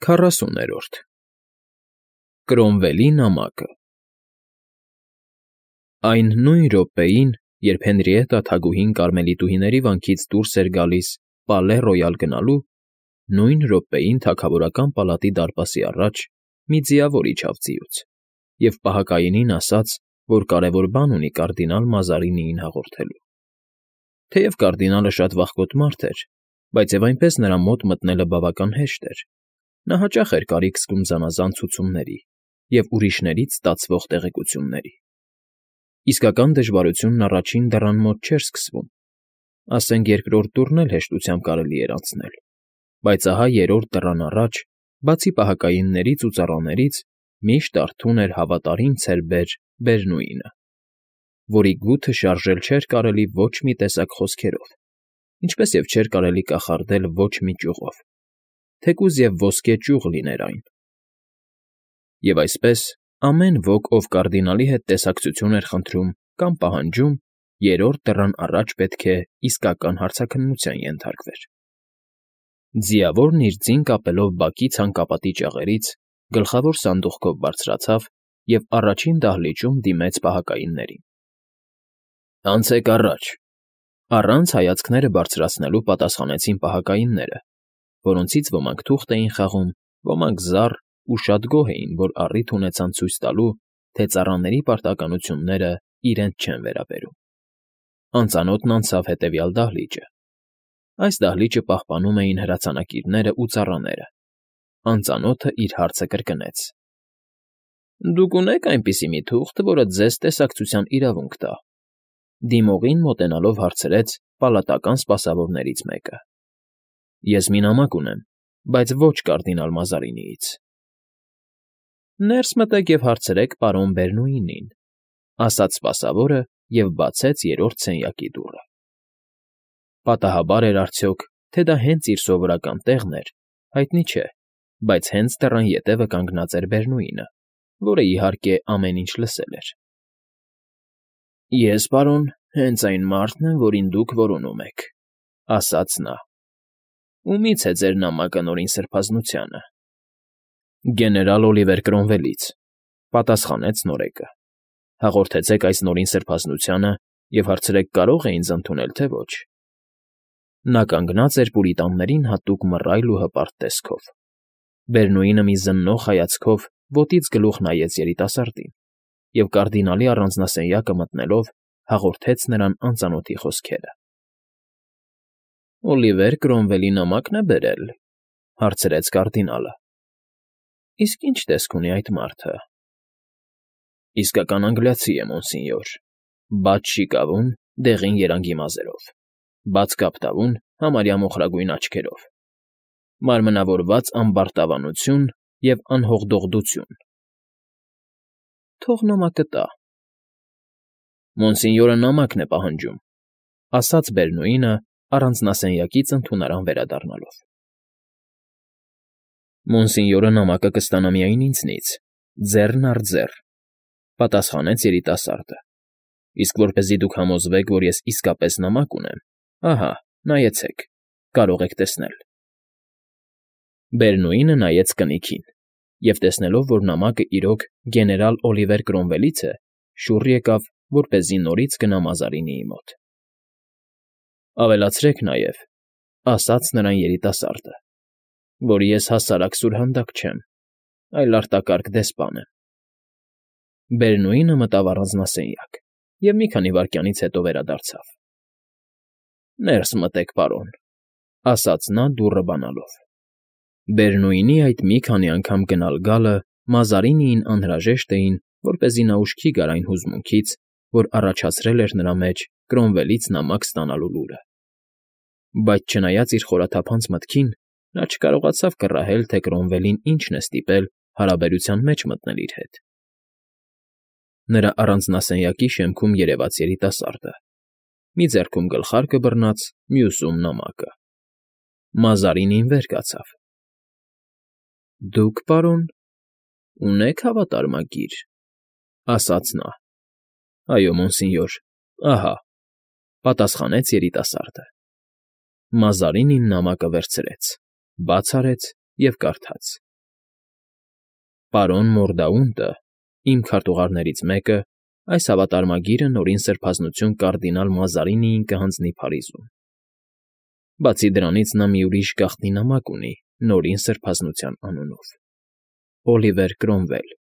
40-րդ Կրոմվելի նամակը Այն նույն րոպեին, երբ Հենրիետտա թագուհին կարմելիտուհիների վանքից դուրս էր գալիս Պալե Ռոյալ գնալու, նույն րոպեին թագավորական պալատի դարպասի առաջ մի ձիավոր իջավ ձիուց և պահակայինին ասաց, որ կարևոր բան ունի կարդինալ Մազարինիին հաղորդելու։ Թեև կարդինալը շատ վախկոտ մարդ էր, բայց և այնպես նրա մոտ մտնելը բավական հեշտ էր. նա հաճախ էր կարիք զգում զանազան ցուցումների և ուրիշներից ստացվող տեղեկությունների։ Իսկական դժվարությունն առաջին դռան մոտ չէր սկսվում, ասենք երկրորդ դուռն էլ հեշտությամբ կարելի էր անցնել, բայց ահա երրորդ դռան առաջ, բացի պահակայիններից ու ծառաներից, միշտ արթուն էր հավատարիմ ցերբեր Բերնուինը, որի գութը շարժել չէր կարելի ոչ մի տեսակ խոսքերով, ինչպես և չէր կարելի կախարդել ոչ մի ճյուղով, թեկուզ և ոսկե ճյուղ լիներ այն։ Եվ այսպես, ամեն ոք, ով կարդինալի հետ տեսակցություն էր խնդրում կամ պահանջում, երրորդ դռան առաջ պետք է իսկական հարցաքննության ենթարկվեր։ Ձիավորն իր ձին կապելով բակի ցանկապատի ճաղերից, գլխավոր սանդուղքով բարձրացավ և առաջին դահլիճում դիմեց պահակայիններին։ «Անցեք առաջ», առանց հայացքները բարձրացնելու պատասխանեցին պահակայինները, որոնցից ոմանք թուղթ էին խաղում, ոմանք զառ ու շատ գոհ էին, որ առիթ ունեցան ցույց տալու, թե ծառաների պարտականությունները իրենց չեն վերաբերում։ Անծանոթն անցավ հետևյալ դահլիճը։ Այս դահլիճը պահպանում էին հրացանակիրներն ու ծառաները։ Անծանոթը իր հարցը կրկնեց. «Դուք ունե՞ք այնպիսի մի թուղթ, որը ձեզ տեսակցության իրավունք տա», դիմողին մոտենալով հարցրեց պալատական սպասավորներից մեկը։ «Ես մի նամակ ունեմ, բայց ոչ կարդինալ Մազարինիից»։ «Ներս մտեք և հարցրեք պարոն Բերնուինին», ասաց սպասավորը և բացեց երրորդ սենյակի դուռը։ Պատահաբար էր արդյոք, թե դա հենց իր սովորական տեղն էր, հայտնի չէ, բայց հենց դռան ետևը կանգնած էր Բերնուինը, որը, իհարկե, ամեն ինչ լսել էր։ «Ես, պարոն, հենց այն մարդն եմ, որին դուք որոնում եք», ասաց նա։ «Ումի՞ց է ձեր նամակը Նորին Սրբազնությանը»։ «Գեներալ Օլիվեր Կրոմվելից», պատասխանեց նորեկը։ «Հաղորդեցեք այս Նորին Սրբազնությանը և հարցրեք՝ կարո՞ղ է ինձ ընդունել, թե ոչ»։ Նա կանգնած էր պուրիտաններին հատուկ մռայլ ու հպարտ տեսքով։ Բերնուինը մի զննող հայացքով ոտից գլուխ նայեց երիտասարդին և կարդինալի առանձնասենյակը մտնելով հաղորդեց նրան անծանոթի խոսքերը։ «Օլիվեր Կրոմվելի նամակն է բերել», հարցրեց կարդինալը։ «Իսկ ի՞նչ տեսք ունի այդ մարդը»։ «Իսկական անգլիացի է, մոնսինյոր, բաց շիկավուն, դեղին երանգի մազերով, բաց կապտավուն, համարյա մոխրագույն աչքերով, մարմնավորված ամբարտավանություն և անհողդողդություն»։ «Թող նամակը տա»։ «Մոնսինյորը նամակն է պահանջում», ասաց Բերնուինը առանձնասենյակից ընդունարան վերադառնալով։ «Մոնսինյորը նամակը կստանա միայն ինձնից, ձեռն առ ձեռ», պատասխանեց երիտասարդը։ «Իսկ որպեսզի դուք համոզվեք, որ ես իսկապես նամակ ունեմ, ահա, նայեցեք, կարող եք տեսնել»։ Բերնուինը նայեց կնիքին և, տեսնելով, որ նամակը իրոք գեներալ Օլիվեր Կրոմվելից է, շուռ եկավ, որպեսզի նորից գնա Մազարինիի մոտ։ «Ավելացրեք նաև», ասաց նրան երիտասարդը, «որ ես հասարակ սուրհանդակ չեմ, այլ արտակարգ դեսպան եմ»։ Բերնուինը մտավ առանձնասենյակ և մի քանի վայրկյանից հետո վերադարձավ։ «Ներս մտեք, պարոն», ասաց նա դուռը բանալով։ Բերնուինի այդ մի քանի անգամ գնալ֊գալը Մազարինիին անհրաժեշտ էին, որպեսզի նա ուշքի գար այն հուզմունքից, որ առաջացրել էր նրա մեջ Կրոմվելից նամակ ստանալու լուրը։ Բայց չնայած իր խորաթափանց մտքին, նա չկարողացավ կռահել, թե Կրոմվելին ինչն է ստիպել հարաբերության մեջ մտնել իր հետ։ Նրա առանձնասենյակի շեմքում երևաց երիտասարդը, մի ձեռքում գլխարկը բռնած, մյուսում նամակը։ Մազարինին վեր կացավ։ «Դուք, պարոն, ունե՞ք հավատարմագիր», ասաց նա։ «Այո, մոնսինյոր, ահա», պատասխանեց երիտասարդը։ Մազարինին նամակը վերցրեց, բաց արեց և կարդաց։ Պարոն Մորդաունտը, իմ քարտուղարներից մեկը, այս հավատարմագիրը նորին սրբազնություն կարդինալ Մազարինիին կհանձնի Փարիզում։ Բացի դրանից նա մի ուրիշ գաղտնի նամակ ունի նորին սրբազնության անունով. Օլիվեր Կրոմվել։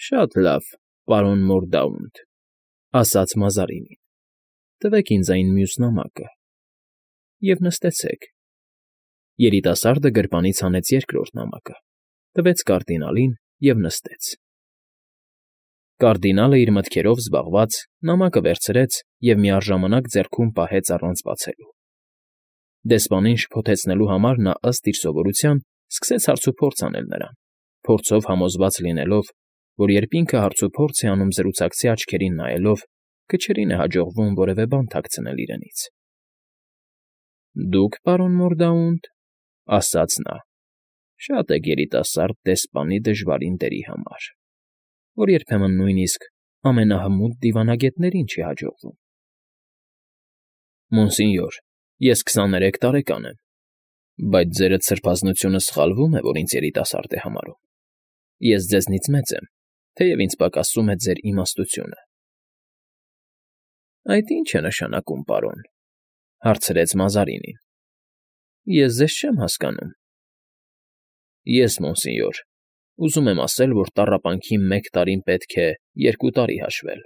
Շատ լավ, պարոն Մորդաունտ, ասաց Մազարինին, տվեք ինձ այն մյուս նամակը և նստեցեք։ Երիտասարդը գրպանից հանեց երկրորդ նամակը, տվեց կարդինալին և նստեց։ Կարդինալը իր մտքերով զբաղված նամակը վերցրեց և միառժամանակ ձեռքում պահեց առանց բացելու։ Դեսպանին շփոթեցնելու համար նա ըստ իր սովորության սկսեց հարցուփորձ անել նրան, փորձով համոզված լինելով, որ երբ ինքը հարցուփորձ է անում զրուցակցի աչքերին նայելով, քչերին է հաջողվում որևէ բան թաքցնել իրենից։ Դուք, պարոն Մորդաունտ, ասաց նա, շատ եք երիտասարդ դեսպանի դժվարին դերի համար, որ երբեմն նույնիսկ ամենահմուտ դիվանագետներին չի հաջողվում։ Մոնսինյոր, ես 23 տարեկան եմ, բայց ձերդ սրբազնությունը սխալվում է, որ ինձ երիտասարդ է համարում։ Ես ձեզնից մեծ եմ, թեև ինձ պակասում է ձեր իմաստությունը։ Այդ ի՞նչ է նշանակում, պարոն, հարցրեց Մազարինին։ Ես ձեզ չեմ հասկանում։ Ես, մոնսինյոր, ուզում եմ ասել, որ տառապանքի 1 տարին պետք է 2 տարի հաշվել,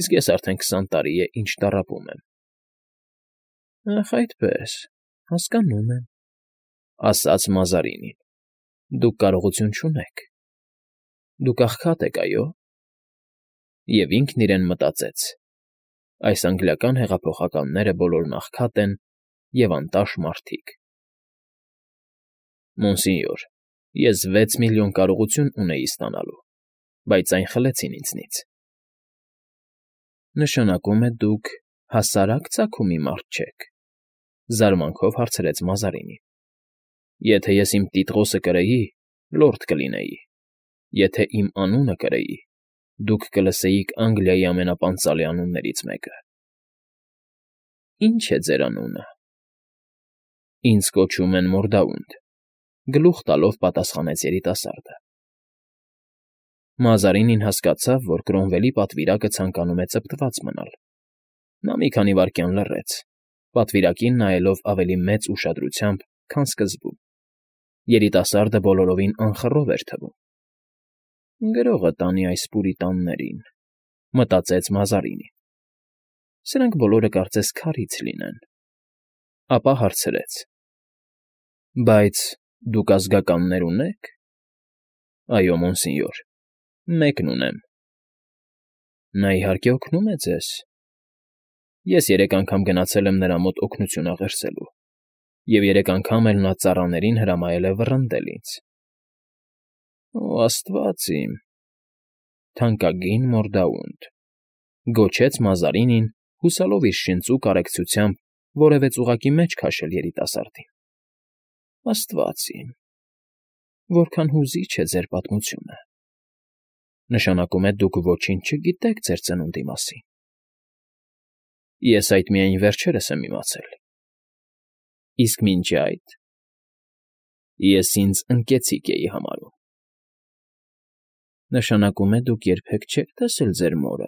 իսկ ես արդեն 20 տարի է, ինչ տառապում եմ։ Ախ, այդպես, հասկանում եմ, ասաց Մազարինին։ Դուք կարողություն չունեք։ Դուք աղքատ եք, այո։ Եվ ինքն իրեն մտածեց. այս անգլիական հեղափոխականները բոլորն աղքատ են և անտաշ մարդիկ։ Մոնսինյոր, ես 6 միլիոն կարողություն ունեի ստանալու, բայց այն խլեցին ինձնից։ Նշանակում է դուք հասարակ ծագումի մարդ չեք, զարմանքով հարցրեց Մազարինին։ Եթե ես իմ տիտղոսը կրեի, լորդ կլինեի, եթե իմ անունը կրեի, դուք կլսեիք Անգլիայի ամենապանծալի անուններից մեկը։ Ի՞նչ է ձեր անունը։ Ինձ կոչում են Մորդաունտ, գլուխ տալով պատասխանեց երիտասարդը։ Մազարինին հասկացավ, որ Կրոմվելի պատվիրակը ցանկանում է ծպտված մնալ։ Նա մի քանի վայրկյան լռեց, պատվիրակին նայելով ավելի մեծ ուշադրությամբ, քան սկզբում։ Երիտասարդը բոլորովին անխռով էր թվում։ Գրողը տանի այս պուրիտաններին, մտածեց Մազարինին։ Սրանք բոլորը կարծես քարից լինեն։ Ապա հարցրեց. Բայց դուք ազգականներ ունե՞ք։ Այո, մոնսինյոր, մեկն ունեմ։ Նա իհարկե օգնում է ձեզ։ Ես 3 անգամ գնացել եմ նրա մոտ օգնություն աղերսելու, և 3 անգամ էլ նա ծառաներին հրամայել է վռնդել ինձ։ Օ, աստված իմ, թանկագին Մորդաունտ, գոչեց Մազարինին, հուսալով իր շնչու կարեկցությամբ որևէ ծուղակի մեջ քաշել երիտասարդին։ Աստված իմ, որքան հուզիչ է ձեր պատմությունը։ Նշանակում է դուք ոչինչ չգիտեք ձեր ծնունդի մասին։ Ես այդ միայն վերջերս եմ իմացել։ Իսկ մինչ այդ ես ինձ ընկեցիկ էի համարում։ Նշանակում է դուք երբեք չեք տեսել ձեր մորը։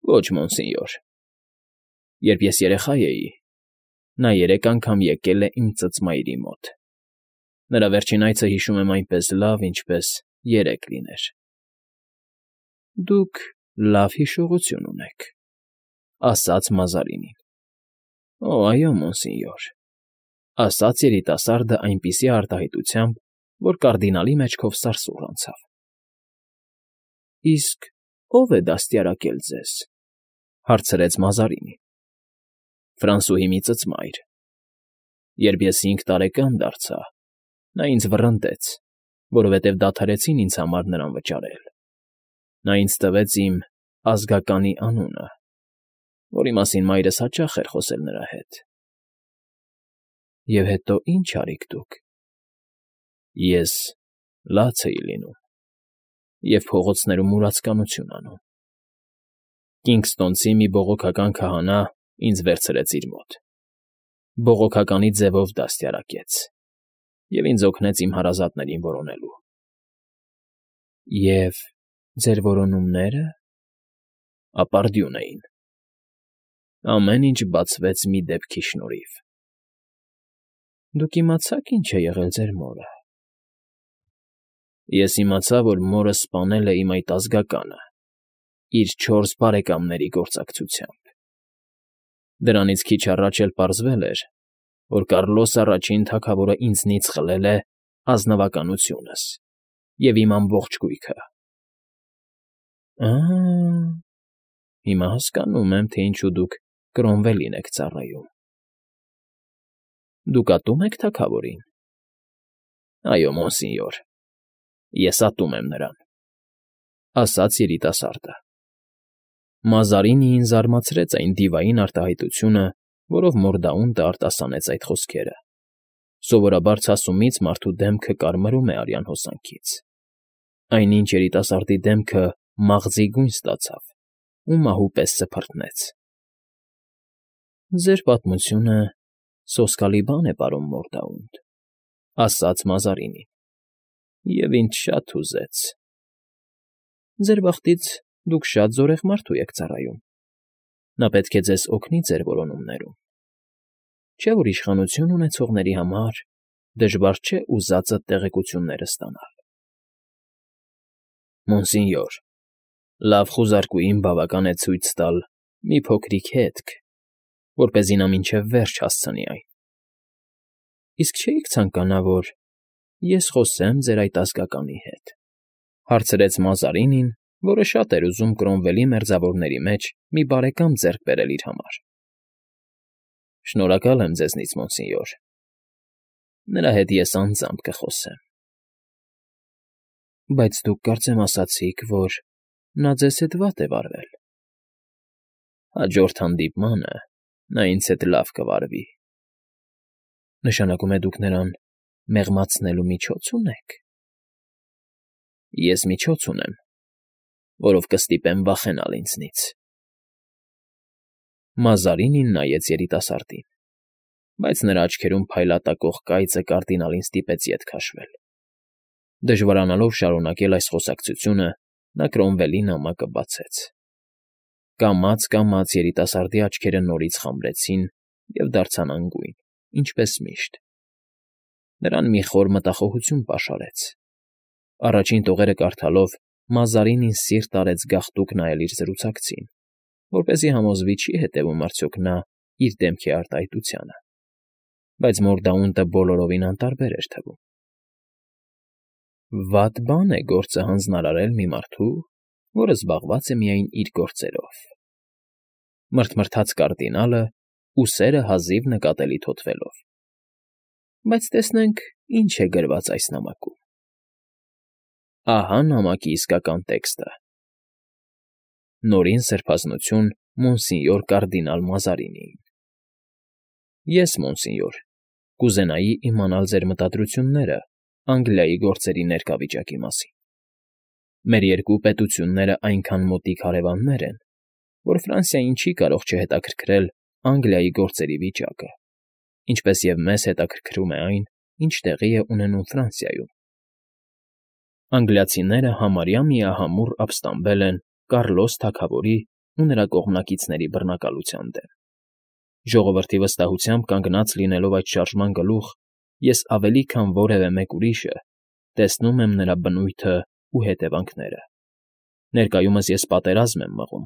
Ոչ, մոնսինյոր։ Երբ ես երեխա էի, նա 3 անգամ եկել է իմ ծծմայրի մոտ։ Նրա վերջին այցը հիշում եմ այնպես լավ, ինչպես 3 լիներ։ Դուք լավ հիշողություն ունեք, ասաց Մազարինին։ Օ, այո, մոնսինյոր, ասաց երիտասարդը այնպիսի արտահայտությամբ, որ կարդինալի մեջքով սարսուռ անցավ։ Իսկ ո՞վ է դաստիարակել ձեզ, հարցրեց Մազարինին։ Ֆրանսուհի մի ծծմայր։ Երբ ես 5 տարեկան դարձա, նա ինձ վռնդեց, որովհետև դադարեցին ինձ համար նրան վճարել։ Նա ինձ տվեց իմ ազգականի անունը, որի մասին մայրս հաճախ էր խոսել նրա հետ։ Եվ հետո ի՞նչ արիք դուք։ Ես լաց էի լինում և փողոցներում մուրացկանություն անում։ Կինգստոնցի մի բողոքական քահանա ինձ վերցրեց իր մոտ։ Բողոքականի ձևով դաստիարակեց և ինձ օգնեց իմ հարազատներին որոնելու։ Եվ ձեր որոնումնե՞րը։ Ապարդյուն էին։ Ամեն ինչ բացվեց մի դեպքի շնորհիվ։ Դուք իմացա՞ք ինչ է եղել ձեր մորը։ Ես իմացա, որ մորը սպանել է իմ այդ ազգականը, իր 4 բարեկամների գործակցությամբ։ Դրանից քիչ առաջ էլ պարզվել էր, որ Կառլոս առաջին թագավորը ինձնից խլել է ազնվականությունս և իմ ամբողջ գույքը։ Հիմա հասկանում եմ, թե ինչու դուք Կրոմվելին եք ծառայում։ Դուք ատո՞ւմ եք թագավորին։ Այո, մոնսինյոր, ես ատում եմ նրան,֊ ասաց երիտասարդը։ Մազարինիին զարմացրեց այն դիվային արտահայտությունը, որով Մորդաունտը արտասանեց այդ խոսքերը։ Սովորաբար ցասումից մարդու դեմքը կարմրում է արյան հոսանքից։ Այնինչ երիտասարդի դեմքը մաղձի գույն ստացավ ու մահու պես սփռտնեց։ Ձեր պատմությունը սոսկալի բան է, պարոն Մորդաունտ,֊ ասաց Մազարինին, և ինձ շատ հուզեց։ Ձեր բախտից դուք շատ զորեղ մարդու եք ծառայում։ Նա պետք է ձեզ օգնի ձեր որոնումներում։ Չէ՞ որ իշխանություն ունեցողների համար դժվար չէ ուզածդ տեղեկությունները ստանալ։ Մոնսինյոր, լավ խուզարկուին բավական է ցույց տալ մի փոքրիկ հետք, որպեսզի նա մինչև վերջ հասցնի այն։ Իսկ չէիք ցանկանա, որ ես խոսեմ ձեր այդ ազգականի հետ,֊ հարցրեց Մազարինին, որը շատ էր ուզում Կրոմվելի մերձավորների մեջ մի բարեկամ ձեռք բերել իր համար։ Շնորհակալ եմ ձեզնից, մոնսինյոր։ Նրա հետ ես անձամբ կխոսեմ։ Բայց դուք կարծեմ ասացիք, որ նա ձեզ հետ վատ է վարվել։ Հաջորդ հանդիպմանը նա ինձ հետ լավ կվարվի։ Նշանակում է դուք նրան մեղմացնելու միջոց ունեք։ Ես միջոց ունեմ, որով կստիպեմ վախենալ ինձնից։ Մազարինին նայեց երիտասարդին, բայց նրա աչքերում փայլատակող կայծը կարդինալին ստիպեց ետ քաշվել։ Դժվարանալով շարունակել այս խոսակցությունը, նա Կրոմվելի նամակը բացեց։ Կամաց երիտասարդի աչքերը նորից խամրեցին և դարձան անգույն, ինչպես միշտ։ Նրան մի խոր մտախոհություն պաշարեց։ Առաջին տողերը կարդալով Մազարինին սիրտ արեց գաղտուկ նայել իր զրուցակցին, որպեսզի համոզվի չի հետևում արդյոք նա իր դեմքի արտահայտությանը, բայց Մորդաունտը բոլորովին անտարբեր էր թվում։ Վատ բան է գործը հանձնարարել մի մարդու, որը զբաղված է միայն իր գործերով,֊ մռթմռթաց կարդինալը, ուսերը հազիվ նկատելի թոթվելով։ Բայց տեսնենք, ինչ է գրված այս նամակում։ Ահա նամակի իսկական տեքստը. Նորին սրբազնություն մոնսինյոր կարդինալ Մազարինիին։ Ես, մոնսինյոր, կուզենայի իմանալ ձեր մտադրությունները Անգլիայի գործերի ներկա վիճակի մասին։ Մեր երկու պետությունները այնքան մոտիկ հարևաններ են, որ Ֆրանսիային չի կարող չհետաքրքրել Անգլիայի գործերի վիճակը, ինչպես և մեզ հետաքրքրում է այն, ինչ տեղի է ունենում Ֆրանսիայում։ Անգլիացիները համարյա միահամուռ ապստամբել են Կառլոս թագավորի ու նրա կողմնակիցների բռնակալության դեմ։ Ժողովրդի վստահությամբ կանգնած լինելով այդ շարժման գլուխ, ես ավելի քան որևէ մեկ ուրիշը տեսնում եմ նրա բնույթը ու հետևանքները։ Ներկայումս ես պատերազմ եմ մղում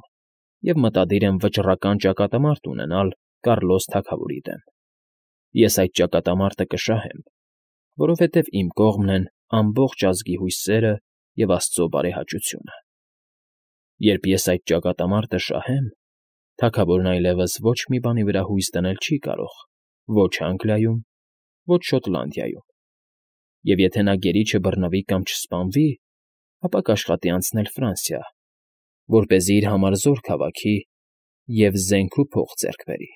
և մտադիր եմ վճռական ճակատամարտ ունենալ Կառլոս թագավորի դեմ։ Ես այդ ճակատամարտը կշահեմ, որովհետև իմ կողմն են ամբողջ ազգի հույսերը և Աստծո բարեհաճությունը։ Երբ ես այդ ճակատամարտը շահեմ, թագավորն այլևս ոչ մի բանի վրա հույս դնել չի կարող ոչ Անգլիայում, ոչ Շոտլանդիայում, և եթե նա գերի չբռնվի կամ չսպանվի, ապա կաշխատի անցնել Ֆրանսիա, որպեսզի իր համար զորք հավաքի և զենք ու փող ձեռք բերի։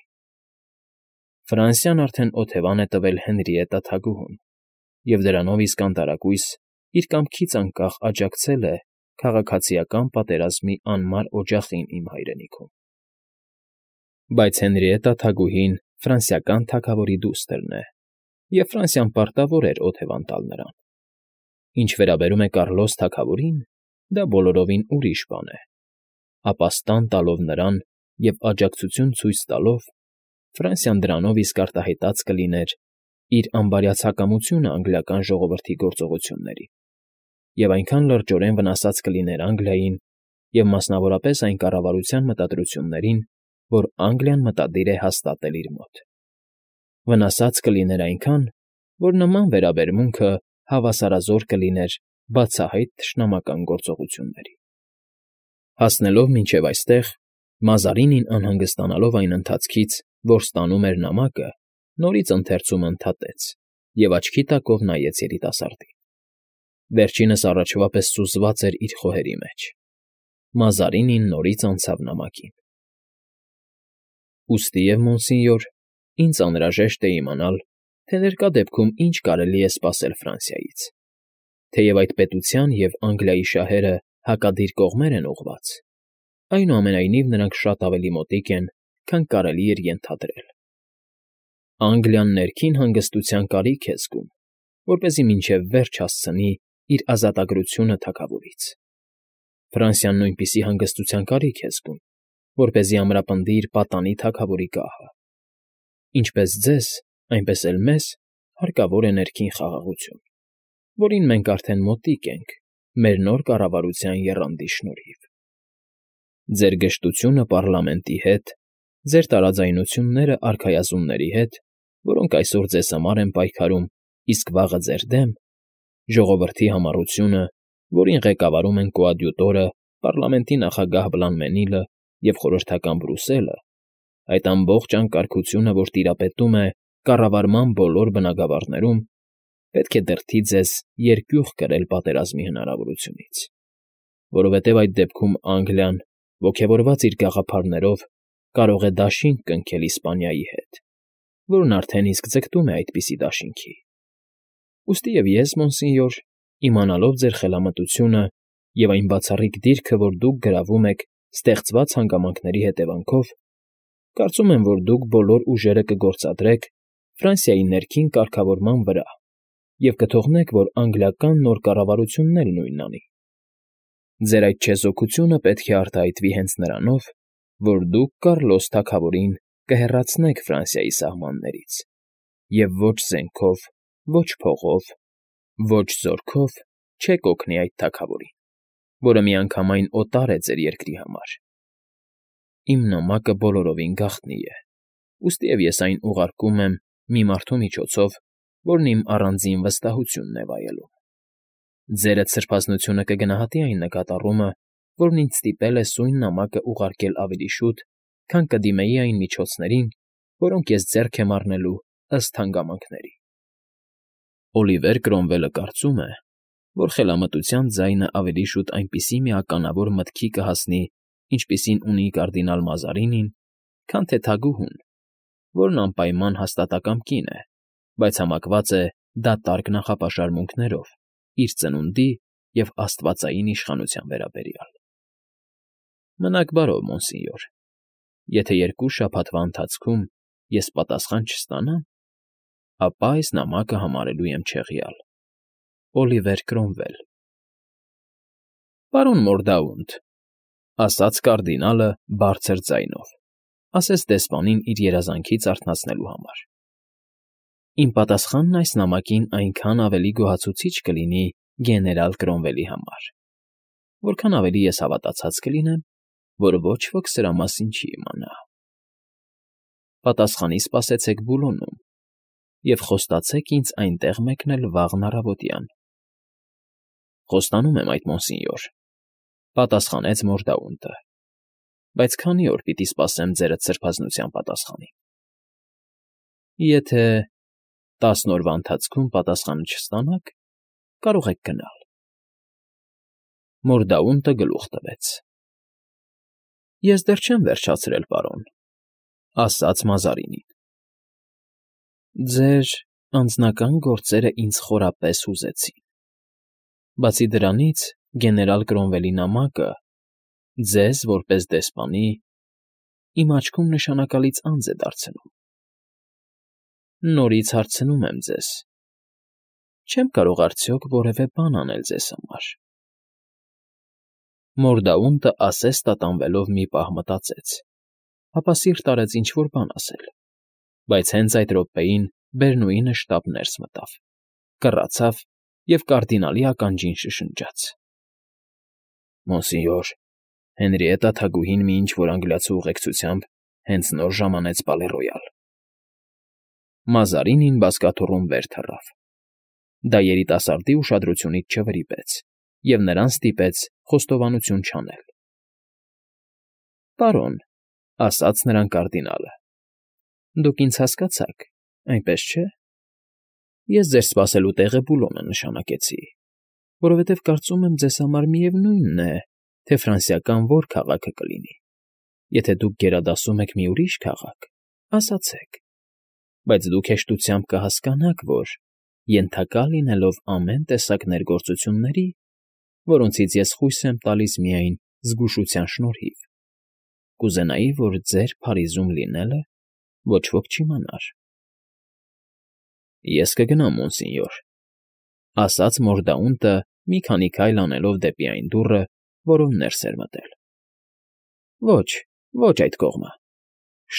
Ֆրանսիան արդեն օթևան է տվել Հենրիետտա թագուհուն, և դրանով իսկ անտարակույս իր կամքից անկախ աջակցել է քաղաքացիական պատերազմի անմար օջախին իմ հայրենիքում։ Բայց Հենրիետտա թագուհին ֆրանսիական թագավորի դուստրն է, և Ֆրանսիան պարտավոր էր օթևան տալ նրան։ Ինչ վերաբերում է Կառլոս թագավորին, դա բոլորովին ուրիշ բան է, ապա ստան տալով նրան և աջակցություն ցույց տալով, Ֆրանսիան դրանով իսկ արտահայտած կլիներ իր անբարյացակամությունը անգլիական ժողովրդի գործողություններին և այնքան լրջորեն վնասած կլիներ Անգլիային և մասնավորապես այն կառավարության մտադրություններին, որ Անգլիան մտադիր է հաստատել իր մոտ։ Վնասած կլիներ այնքան, որ նման վերաբերմունքը հավասարազոր կլիներ բացահայտ թշնամական գործողությունների։ Հասնելով մինչև այստեղ, Մազարինին անհանգստանալով այն ընթացքից, որ ստանում էր նամակը, նորից ընթերցումը ընդհատեց և աչքի տակով նայեց երիտասարդին։ Վերջինս առաջվա պես սուզված էր իր խոհերի մեջ։ Մազարինին նորից անցավ նամակին։ Ուստիև, մոնսինյոր, ինձ անհրաժեշտ է իմանալ, թե ներկա դեպքում ինչ կարելի է սպասել Ֆրանսիայից, թեև այդ պետության և Անգլիայի շահերը հակադիր կողմեր են ուղղված, այնուամենայնիվ նրանք շատ ավելի մոտիկ են, քան կարելի էր ենթադրել։ Անգլիան ներքին հանգստության կարիք է զգում, որպեսզի մինչև վերջ հասցնի իր ազատագրությունը թագավորից։ Ֆրանսիան նույնպիսի հանգստության կարիք է զգում, որպեսզի ամրապնդի իր պատանի թագավորի գահը։ Ինչպես ձեզ, այնպես էլ մեզ հարկավոր է ներքին խաղաղություն, որին մենք արդեն մոտիկ ենք մեր նոր կառավարության եռանդի շնորհիվ։ Ձեր գժտությունը պարլամենտի հետ, ձեր տարաձայնությունները արքայազնների հետ, որոնք այսօր ձեզ համար են պայքարում, իսկ վաղը ձեր դեմ, ժողովրդի համառությունը, որին ղեկավարում են կոադյուտորը, պարլամենտի նախագահ Բլանմենիլը և խորհրդական Բրուսելը, այդ ամբողջ անկարգությունը, որ տիրապետում է կառավարման բոլոր բնագավառներում, պետք է դրդի ձեզ երկյուղ կրել պատերազմի հնարավորությունից, որովհետև այդ դեպքում Անգլիան, ոգևորված իր գաղափարներով, կարող է դաշինք կնքել Իսպանիայի հետ, որն արդեն իսկ ձգտում է այդպիսի դաշինքի։ Ուստիև ես, մոնսինյոր, իմանալով ձեր խելամտությունը և այն բացառիկ դիրքը, որ դուք գրավում եք ստեղծված հանգամանքների հետևանքով, կարծում եմ, որ դուք բոլոր ուժերը կգործադրեք Ֆրանսիայի ներքին կարգավորման վրա և կթողնեք, որ անգլիական նոր կառավարությունն էլ նույնն անի։ Ձեր այդ չեզոքությունը պետք է արտահայտվի հենց նրանով, որ դուք Կառլոս թագավորին կհեռացնեք Ֆրանսիայի սահմաններից և ոչ զենքով, ոչ փողով, ոչ զորքով չեք օգնի այդ թագավորին, որը միանգամայն օտար է ձեր երկրի համար։ Իմ նամակը բոլորովին գաղտնի է, ուստիև ես այն ուղարկում եմ մի մարդու միջոցով, որն իմ առանձին վստահությունն է վայելում։ Ձերդ սրբազնությունը կգնահատի այն նկատառումը, որն ինձ ստիպել է սույն նամակը ուղարկել ավելի շուտ, քան կդիմեի այն միջոցներին, որոնք ես ձեռք եմ առնելու ըստ հանգամանքների։ Օլիվեր Կրոմվելը կարծում է, որ խելամտության ձայնը ավելի շուտ այնպիսի մի ականավոր մտքի կհասնի, ինչպիսին ունի կարդինալ Մազարինին, քան թե թագուհուն, որն անպայման հաստատակամ կին է, բայց համակված է դատարկ նախապաշարմունքներով իր ծնունդի և աստվածային իշխանության վերաբերյալ։ Մնաք բարով, մոնսինյոր, եթե 2 շաբաթվա ընթացքում ես պատասխան չստանամ, ապա այս նամակը համարելու եմ չեղյալ։ Օլիվեր Կրոմվել։ Պարոն Մորդաունտ, ասաց կարդինալը բարձր ձայնով, ասես դեսպանին իր երազանքից արթնացնելու համար։ Իմ պատասխանն այս նամակին այնքան ավելի գոհացուցիչ կլինի գեներալ Կրոմվելի համար, որքան ավելի ես հավատացած կլինեմ, որ ոչ ոք սրա մասին չի իմանա։ Պատասխանի սպասեցեք Բուլոնում և խոստացեք ինձ այնտեղ մեկնել վաղն առավոտյան։ Խոստանում եմ այդ, մոնսինյոր, պատասխանեց Մորդաունտը, բայց քանի՞ օր պիտի սպասեմ ձերդ սրբազնության պատասխանին։ Եթե 10 օրվա ընթացքում պատասխանը չստանաք, կարող եք գնալ։ Մորդաունտը գլուխ տվեց։ Ես դեռ չեմ վերջացրել, պարոն, ասաց Մազարինին։ Ձեր անձնական գործերը ինձ խորապես հուզեցին։ Բացի դրանից, գեներալ Կրոմվելի նամակը ձեզ, որպես դեսպանի, իմ աչքում նշանակալից անձ է դարձնում։ Նորից հարցնում եմ ձեզ. չեմ կարող արդյոք որևէ բան անել ձեզ համար։ Մորդաունտը ասես տատանվելով մի պահ մտածեց, ապա սիրտ արեց ինչ֊որ բան ասել, բայց հենց այդ րոպեին Բերնուինը շտապ ներս մտավ, կռացավ և կարդինալի ականջին շշնջաց. «Մոնսենյոր, Հենրիետտա թագուհին մի ինչ֊որ անգլիացու ուղեկցությամբ հենց նոր ժամանեց Պալե Ռոյալ»։ Մազարինին բազկաթոռում վեր թռավ։ Դա երիտասարդի ուշադրությունից չվրիպեց և նրան ստիպեց խոստովանություն չանել։ «Պարոն,֊ ասաց նրան կարդինալը,֊ դուք ինձ հասկացաք, այնպես չէ՞։ Ես ձեր սպասելու տեղը Բուլոնը նշանակեցի, որովհետև կարծում եմ, ձեզ համար միևնույն է, թե ֆրանսիական որ քաղաքը կլինի։ Եթե դուք գերադասում եք մի ուրիշ քաղաք, ասացեք, բայց դուք հեշտությամբ կհասկանաք, որ, ենթակա լինելով ամեն տեսակ ներգործությունների, որոնցից ես խույս եմ տալիս միայն զգուշության շնորհիվ, կուզենայի, որ ձեր Փարիզում լինելը ոչ ոք չիմանար»։ «Ես կգնամ, մոնսենյոր,֊ ասաց Մորդաունտը մի քանի քայլ անելով դեպի այն դուռը, որով ներս էր մտել։ «Ոչ, ոչ այդ կողմը,֊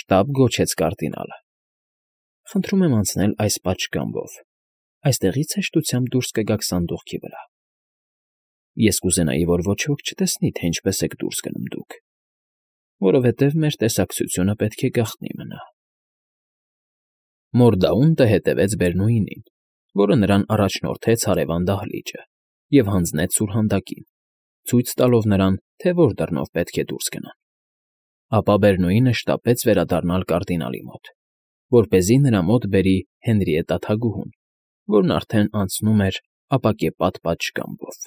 շտապ գոչեց կարդինալը։ Խնդրում եմ անցնել այս պատշգամբով, այստեղից հեշտությամբ դուրս կգաք սանդուղքի վրա։ Ես կուզենայի, որ ոչ ոք չտեսնի, թե ինչպես եք դուրս գնում դուք, որովհետև մեր տեսակցությունը պետք է գաղտնի մնա»։ Մորդաունտը հետևեց Բերնուինին, որը նրան առաջնորդեց հարևան դահլիճը և հանձնեց սուրհանդակին, ցույց տալով նրան, թե որ դռնով պետք է դուրս գնան։ Ապա Բերնուինը շտապեց վերադառնալ կարդինալի մոտ, որպեսզի նրա մոտ բերի Հենրիետտա թագուհուն, որն արդեն անցնում էր ապակեպատ պատշգամբով։